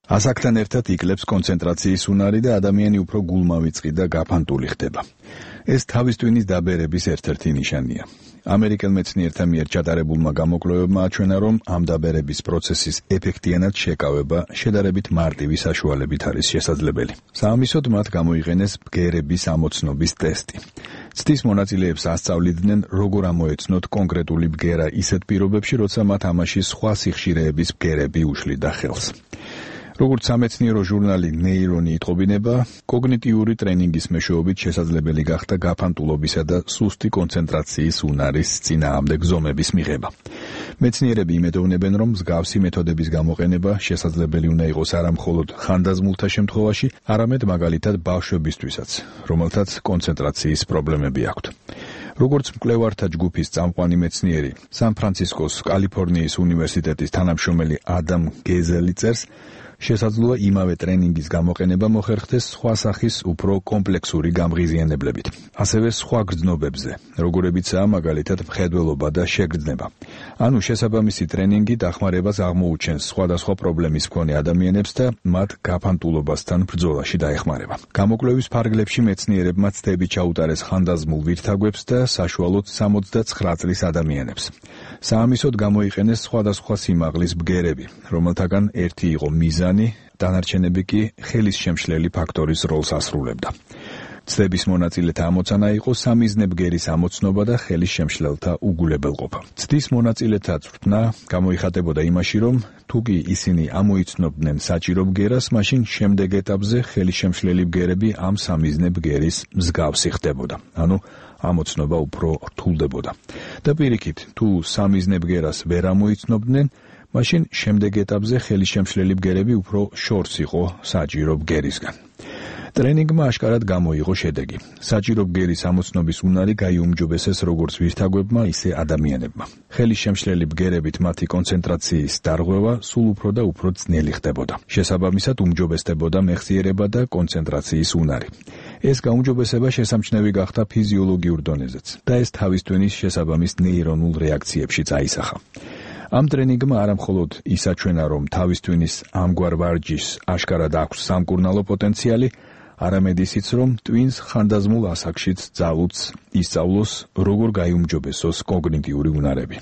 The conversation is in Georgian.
ასაკთან ერთად იკლებს კონცენტრაციის უნარი და ადამიანი უფრო გულმავიწყი და გაფანტული ხდება. ეს თავის ტვინის დაბერების ერთ-ერთი ნიშანია. ამერიკელ მეცნიერთა მიერ ჩატარებულმა გამოკვლევებმა აჩვენა, რომ ამ დაბერების პროცესის ეფექტიანად შეკავება შედარებით მარტივი საშუალებით არის შესაძლებელი. საამისოდ მათ გამოიყენეს ბგერების ამოცნობის ტესტი. ცდის მონაწილეებს ასწავლიდნენ, როგორ ამოეცნოთ კონკრეტული ბგერა ისეთ პირობებში, როცა მათ ამაში სხვა სიხშირეების ბგერები უშლიდა ხელს. როგორც სამეცნიერო ჟურნალი ნეირონი იტყობინება, კოგნიტიური ტრენინგის მეშვეობით შესაძლებელი გახდა გაფანტულობისა და სუსტი კონცენტრაციის უნარის წინააღმდეგ ზომების მიღება. მეცნიერები იმედოვნებენ, რომ მსგავსი მეთოდების გამოყენება შესაძლებელი უნდა იყოს არა მხოლოდ ხანდაზმულთა შემთხვევაში, არამედ მაგალითად ბავშვებისთვისაც, რომელთაც კონცენტრაციის პრობლემები აქვთ. როგორც მკვლევართა ჯგუფის წამყვანი მეცნიერი, სან-ფრანცისკოს კალიფორნიის უნივერსიტეტის თანამშრომელი ადამ გეზელი წერს, შესაძლოა იმავე ტრენინგის გამოყენება მოხერხდეს სხვა სახის უფრო კომპლექსური გამღიზიანებლებით, ასევე სხვა გრძნობებზე, როგორებიცაა მაგალითად მხედველობა და შეგრძნება. ანუ შესაბამისი ტრენინგი დახმარებას აღმოუჩენს სხვადასხვა პრობლემის მქონე ადამიანებს და მათ გაფანტულობასთან ბრძოლაში დაეხმარება. გამოკვლევის ფარგლებში მეცნიერებმა ცდები ჩაუტარეს ხანდაზმულ ვირთაგვებს და საშუალოდ 69 წლის ადამიანებს. საამისოდ გამოიყენეს სხვადასხვა სიმაღლის ბგერები, რომელთაგან ერთი იყო მიზანი, დანარჩენები კი ხელის შემშლელი ფაქტორის როლს ასრულებდა. ცდების მონაწილეთა ამოცანა იყო სამიზნე ბგერის ამოცნობა და ხელის შემშლელთა უგულებელყოფა. ცდის მონაწილეთა წვრთნა გამოიხატებოდა იმაში, რომ თუ კი ისინი ამოიცნობდნენ საჭირო ბგერას, მაშინ შემდეგ ეტაპზე ხელის შემშლელი ბგერები ამ სამიზნე ბგერის მსგავსი ხდებოდა. ანუ ამოცნობა უფრო რთულდებოდა. და პირიქით, თუ სამიზნე ბგერას ვერ ამოიცნობდნენ, მაშინ შემდეგ ეტაპზე ხელის შემშლელი ბგერები უფრო შორს იყო საჭირო ბგერისგან. ტრენინგმა აშკარად გამოიღო შედეგი. საჭირო ბგერის ამოცნობის უნარი გაიუმჯობესეს როგორც ვირთაგვებმა, ისე ადამიანებმა. ხელის შემშლელი ბგერებით მათი კონცენტრაციის დარღვევა სულ უფრო და უფრო ძნელი ხდებოდა. შესაბამისად უმჯობესდებოდა მეხსიერება და კონცენტრაციის უნარი. ეს გაუმჯობესება შესამჩნევი გახდა ფიზიოლოგიურ დონეზეც და ეს თავის ტვინის შესაბამის ნეირონულ რეაქციებში წაისახა. ამ ტრენინგმა არა მხოლოდ ის აჩვენა, რომ თავის ტვინის ამგვარ ვარჯიშს აშკარად აქვს სამკურნალო პოტენციალი, არამედ ისიც, რომ ტვინს ხანდაზმულ ასაკშიც ძალუც ისწავლოს, როგორ გაიუმჯობესოს კოგნიტიური უნარები.